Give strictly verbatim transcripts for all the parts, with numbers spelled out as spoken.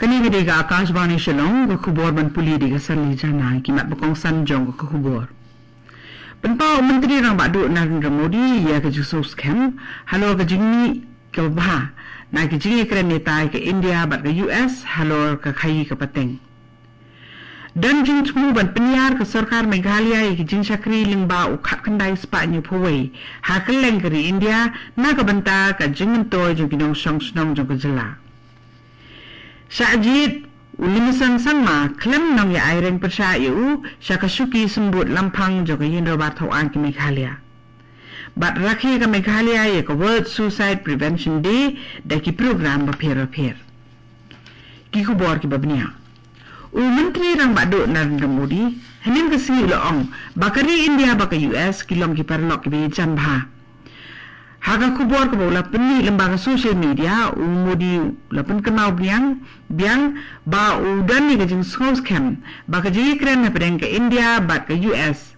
Kane ka dei ka Akashvani Shillong, ka khubor ban pule da ka Sally Jana, ki mat ba kongsan jong ka khubor. Pynpaw u Myntri Rangbah Duh Narendra Modi ïa ka jingsngewskhem halor ka jingmih kaba bha na ka jingïakren netai ka India bad ka U S halor ka khaïi ka pateng. Don jingthmu ban pynïar ka sorkar Meghalaya ïa ki jingshakri lyngba u khatkhyndai spah hynñiewphew wei ha kylleng ka ri India na ka bynta ka jingmyntoi jong ki nongshong shnong jong ka jylla. Shah jied u Limson Sangma khlem nongïaai reng pyrshah ïa u sha ka shuki symbud lamphang jong ka Ïing Dorbar Thaw Aiñ ka Meghalaya. Bad rakhe ka Meghalaya ïa ka World Suicide Prevention Day da ki program bapher bapher. Ki khubor kiba bniah. U Myntri Rangbah Duh Narendra Modi hynnin ka sngi u la ong ba ka ri India bad ka U S ki long ki paralok kiba ïajan bha. Ha ka khubor kaba u la pynmih lyngba ka social media, u Modi u la pynkynmaw biang, biang ba u don ïa ka jingsngewskhem ba ka jingïakren hapdeng ka India bad ka U S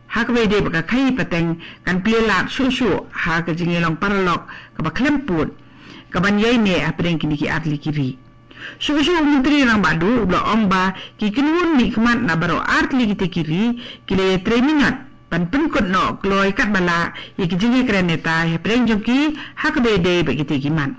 ha kaba ïadei bad ka khaïi pateng kan plie lad shuh shuh ha ka jingïalong paralok kaba khlem pud kaban ïaineh hapdeng kine ki artylli ki ri. Shuh shuh u Myntri Rangbah Duh u la ong ba ki kynhun mihkhmat na baroh artylli kitei ki ri ki la ïatrei minot ban pynkut noh kloi katba lah ïa ki jingïakren netai hapdeng jong ki ha kaba ïadei bad kitei ki mat.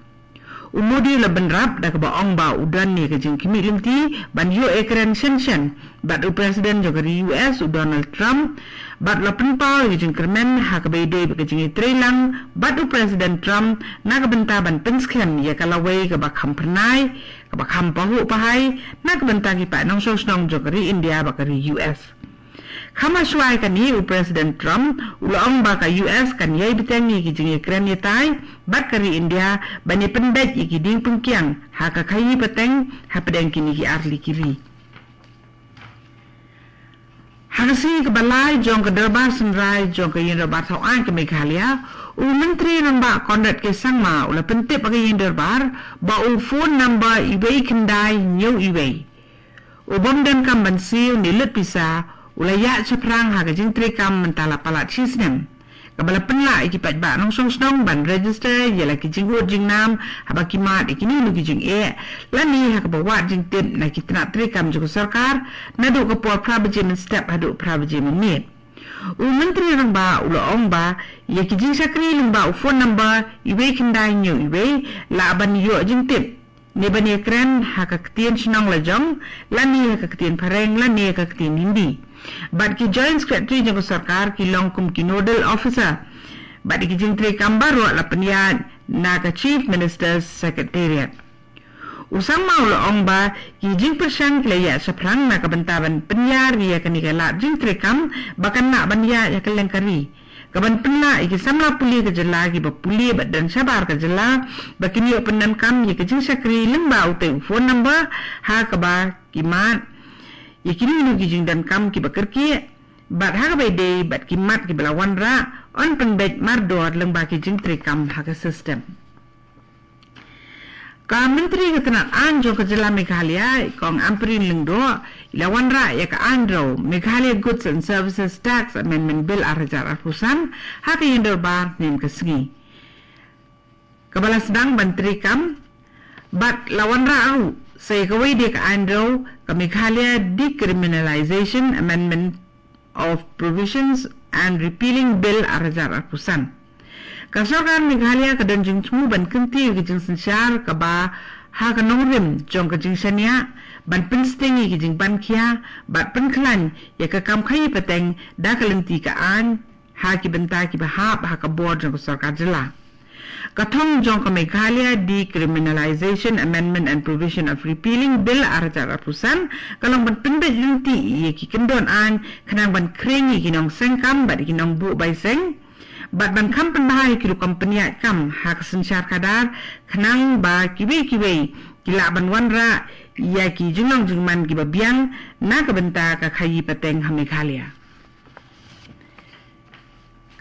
U Modi u la bynrap da kaba ong ba u don ïa ka jingkhmih lynti ban ïoh ïakren shen shen bad u President jong ka ri U S u Donald Trump, bad la pynpaw ïa ka jingkyrmen ha kaba ïadei bad ka jingïatreilang bad u President Trump na ka bynta ban pynskhem ïa ka lawei kaba kham phyrnai, kaba kham pahuh pahai na ka bynta ki paid nongshong shnong jong ka ri India bad ka ri U S. Kham hashwa ïa kane, u President Trump u la ong ba ka U S kan ïai bteng ïa ki jingïakren ïatai bad ka ri India ban ïa pynbeit ïa ki diengpyngkiang ha ka khaïi pateng hapdeng kine ki artylli ki ri. Ha ka sngi kaba lai jong ka Dorbar Synrai jong ka Ïing Dorbar Thaw Aiñ ka Meghalaya, u Myntri Rangbah Conrad K Sangma u la pyntip ha ka Ïing Dorbar ba u phone number uwei khyndai hynñiew uwei, u bym donkam ban siew ne lut pisa, u la ïaid shaphrang ha ka jingtreikam mynta la palat shi snem, kaba la pynlah ïa ki paidbah nongshong shnong ban register ïa la ki jingud jingnam haba ki mad ïa kino kino ki jingeh, lane ha kaba wad jingtip na ki tnat treikam jong ka sorkar, naduh ka por phra baje mynstep haduh phra baje mynmiet. U Myntri Rangbah u la ong ba ïa ki jingshakri lyngba u phone number uwei khyndai hynñiew uwei lah ban ïoh jingtip ne ban ïakren ha ka ktien shnong lajong, lane ha ka ktien phareng, lane ha ka ktien Hindi. Bad ki Joint Secretary jong ka sorkar ki long kum ki nodal officer, bad ïa ki jingtreikam baroh la pynïaid na ka Chief Minister's Secretariat. U Sangma u la ong ba ki jingpyrshang ki la ïaid shaphrang na ka bynta ban pynïar ïa kane ka lad jingtreikam ba kan lah ban ïaid ha kylleng ka ri, kaban pynlah ïa ki samla pule ka jylla kiba pule bad don shabar ka jylla ba kin ïoh pyndonkam ïa ka jingshakri lyngba utei u phone number ha kaba ki mad ïa kino kino ki jingdonkam kiba kyrkieh, bad ha kaba ïadei bad ki mat kiba la wanrah, yn pynbeit mardor lyngba ki jingtreikam ha ka system. Ka Myntri ka tnat aiñ jong ka jylla Meghalaya, i Kong Ampareen Lyngdoh, i la wanrah ïa ka aiñrew Meghalaya Goods and Services Tax Amendment Bill ar hajar arphew san ha ka Ïing Dorbar hynnin ka sngi, kaba la sdang ban treikam, bad la wanrah ruh sa ïa kawei de ka aiñrew, ka Meghalaya Decriminalisation Amendment of Provisions and Repealing Bill ar hajar arphew san. Ka sorkar Meghalaya ka don jingthmu ban kyntiew ïa ka jingsynshar kaba ha ka nongrim jong ka jingshaniah, ban pynsting ïa ka jingban khia bad pynkhlaiñ ïa ka kam khaïi pateng da ka lynti ka aiñ ha ki bynta kiba hap ha ka bor jong ka sorkar jylla. Ka thong jong ka Meghalaya Decriminalisation Amendment and Provision of Repealing Bill ar hajar arphew san ka long ban pynbeit lynti ïa ki kyndon aiñ khnang ban khring ïa ki nongseng kam bad ki nongbuh bai seng, bad ban kham pynbha ïa ki rukom pynïaid kam ha ka synshar khadar, khnang ba kiwei kiwei ki lah ban wanrah ïa ki jinglong jingman kiba biang na ka bynta ka khaïi pateng ha Meghalaya.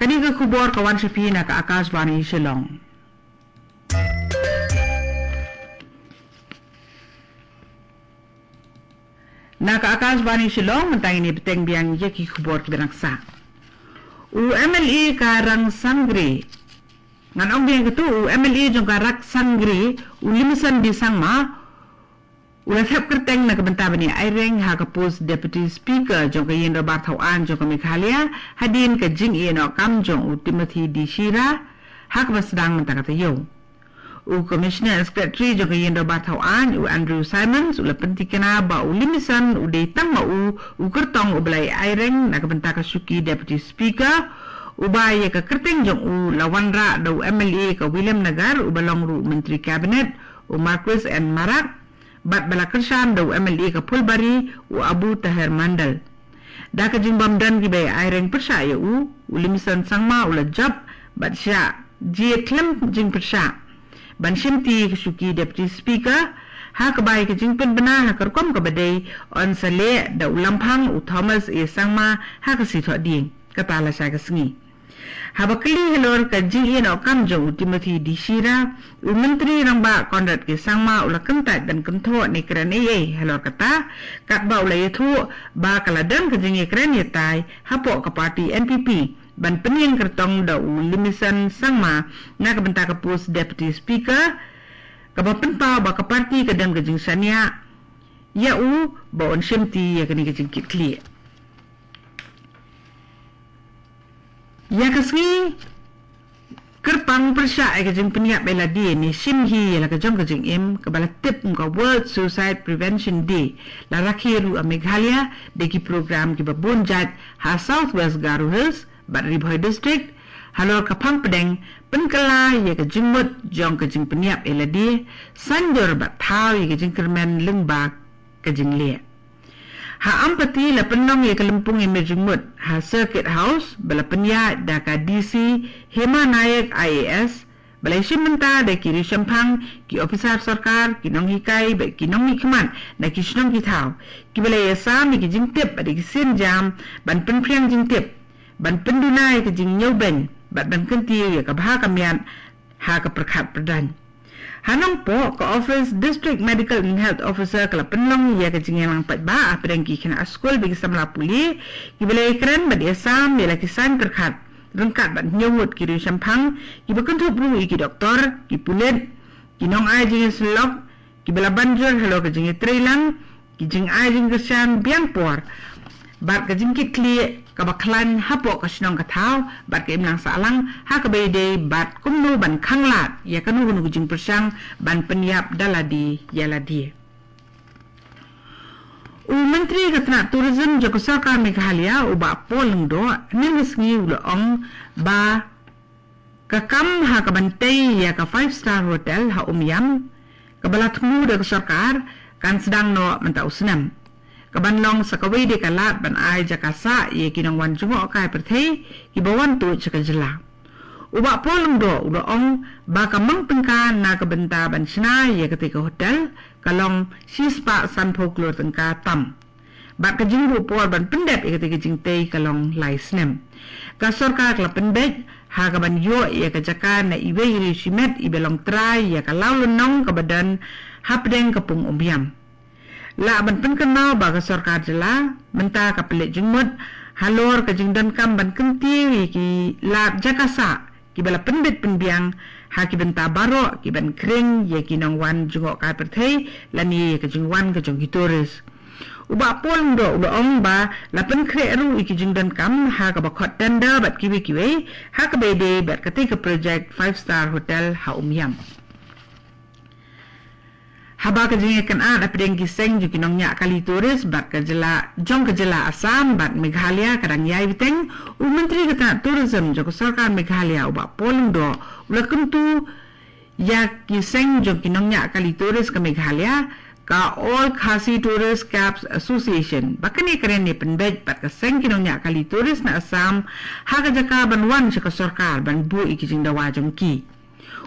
Kane ka khubor ka wan sha phi na ka Akashvani Shillong. Na ka Akashvani Shillong, mynta ngin ïa bteng biang ïa ki khubor kiba dang sah. U M L A ka Rangsangre, ngan ong biang katto, u M L A jong ka Rangsangre, u Limson D Sangma, U la thep kyrteng na ka bynta ban ïa aireng ha ka post Deputy Speaker jong ka Ïing Dorbar Thaw Aiñ jong ka Meghalaya, hadien ka jingïehnoh kam jong u Timothy D Shira, ha kaba sdang mynta ka taïew. U Commissioner and Secretary jong ka Ïing Dorbar Thaw Aiñ, u Andrew Simons, u la pyntikna ba u Limison u dei tang ma u, u kyrtong uba la aireng na ka bynta ka shuki Deputy Speaker, uba ïa ka kyrteng jong u la wanrah da u M L A ka Williamnagar, uba long ruh u Myntri Cabinet, u Marcuise N Marak, bad ba la kyrshan da u M L A ka Phulbari, u Abu Taher Mondal. Da ka jingbym don kiba ïa aireng pyrshah ïa u, u Limison Sangma u la jop, bad shah jied khlem jingpyrshah ban shimti ka shuki Deputy Speaker, ha kaba ïa ka jingpynbna ha ka rukom kaba dei, yn sa leh da u Lamphang u Thomas A Sangma ha ka sngi Thohdieng, kata lashai ka sngi. Haba kylli halor ka jingïehnoh kam jong u Timothy D Shira, u Myntri Rangbah Conrad K Sangma u la kyntait ban kynthoh ne kren ei ei halor kata, katba u la ïathuh ba ka la don ka jingïakren ïatai hapoh ka party N P P ban pynïeng kyrtong da u Limison Sangma na ka bynta ka post Deputy Speaker, kaba pynpaw ba ka party ka don ka jingshaniah ïa u ba un shimti ïa kane ka jingkitkhlieh. Ïa ka sngi kyrpang pyrshah ïa ka jingpynïap ïa lade ne shim hi ïa la ka jong ka jingim, kaba la tip kum ka World Suicide Prevention Day, la rakhe ruh ha Meghalaya da ki program kiba bun jait ha South West Garo Hills bad Ri Bhoi District, halor ka phang pdeng pynkylla ïa ka jingmut jong ka jingpynïap ïa lade, saiñdur bad thaw ïa ka jingkyrmen lyngba ka jingleh. Ha Ampati la pynlong ïa ka lympung ïa mir jingmut ha Circuit House, ba la pynïaid da ka D C Hema Nayak I A S, ba la ïashim bynta da ki riewshemphang, ki ophisar sorkar, ki nonghikai bad ki nongmihkhmat na ki shnong ki thaw, kiba la ïasam ïa ki jingtip bad ïa ki sienjam ban pynphriang jingtip, ban pynduna ïa ki jingñiewbeiñ bad ban kyntiew ïa ka bha ka miat ha ka pyrkhat pyrdaiñ. Ha Nongpoh, ka office District Medical and Health Officer ka la pynlong ïa ka jingïalang paidbah hapdeng ki khynnah skul bad ki samla pule, kiba la ïakren bad ïasam ïa la ki saiñ pyrkhat ryngkat bad hynñiew ngut ki riewshemphang, kiba kynthup ruh ïa ki doktor, ki pulit, ki nongai jingïasyllok, kiba la ban jur halor ka jingïatreilang, ki jingai jingkyrshan biang por bad ka jingkitkhlieh kaba khlaiñ hapoh ka shnong ka thaw bad ka imlang sahlang, ha kaba ïadei bad kumno ban khanglad ïa kano kano ka jingpyrshang ban pynïap da lade ïa lade. U Myntri ka tnat Tourism jong ka Sorkar Meghalaya, u Bah Paul Lyngdoh, mynne ka sngi u la ong ba ka kam ha kaban tei ïa ka five star hotel ha Umiam, kaba la thmu da ka sorkar, kan sdang noh mynta u snem, kaban long sa kawei de ka lad ban ai jaka sah ïa ki nongwan jngohkai pyrthei kiba wan tuid sha ka jylla. U Bah Paul Lyngdoh u la ong ba ka mang tyngka na ka bynta ban shna ïa katei ka hotel ka long shispah sanphew klur tyngka tam, bad ka jingbuh por ban pyndep ïa katei ka jingtei ka long lai snem. Ka sorkar ka la pynbeit ha kaban ïoh ïa ka jaka na iwei i riewshimet iba long trai ïa ka law lynnong kaba don hapdeng ka pung Umiam. Lah ban pynkynmaw ba ka sorkar jylla mynta ka pynleit jingmut halor ka jingdonkam ban kyntiew ïa ki lad jaka sah kiba la pynbit pynbiang ha ki bynta baroh, kiban khring ïa ki nongwan jngohkai pyrthei lane ïa ka jingwan ka jong ki tourist. U Bah Paul Lyngdoh u la ong ba la pynkhreh ruh ïa ki jingdonkam ha kaba khot tender bad kiwei kiwei, ha kaba ïadei bad katei ka projek five star hotel ha Umiam. Haba ka jingïakynad hapdeng ki seng jong ki nongñiah kali tourist bad ka jylla, jong ka jylla Assam bad Meghalaya ka dang ïai bteng, u Myntri ka tnat Tourism jong ka Sorkar Meghalaya, u Bah Paul Lyngdoh, u la kyntu ïa ki seng jong ki nongñiah kali tourist ka Meghalaya, ka All Khasi Tourist Cabs Association, ba kane ka kren ne pynbeit bad ka seng ki nongñiah kali tourist na Assam ha ka jaka ban wan sha ka sorkar ban buh ïa ki jingdawa jong ki.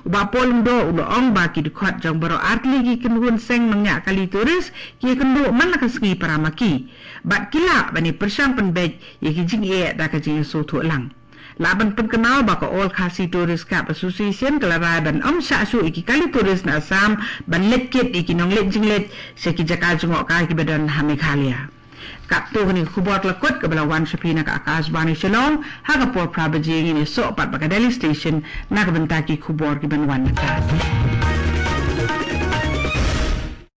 U Bah Paul Lyngdoh u la ong ba ki dkhot jong baroh artylli ki kynhun seng nongñiah kali tourist ki ïakynduh man la ka sngi para ma ki, bad ki lah ban ïa pyrshang pynbeit ïa ki jingeh da ka jingïasngewthuh lang. Lah ban pynkynmaw ba ka All Khasi Tourist Cab Association ka la rai ban ym shah shuh ïa ki kali tourist na Assam ban leit kit ïa ki nongleit jingleit sha ki jaka jngohkai kiba don ha Meghalaya. Katto kane ka khubor ka la kut kaba la wan sha phi na ka Akashvani Shillong, ha ka por phra baje ngin ïasoh pat bad ka Delhi Station na ka bynta ki khubor kiban wan mynta.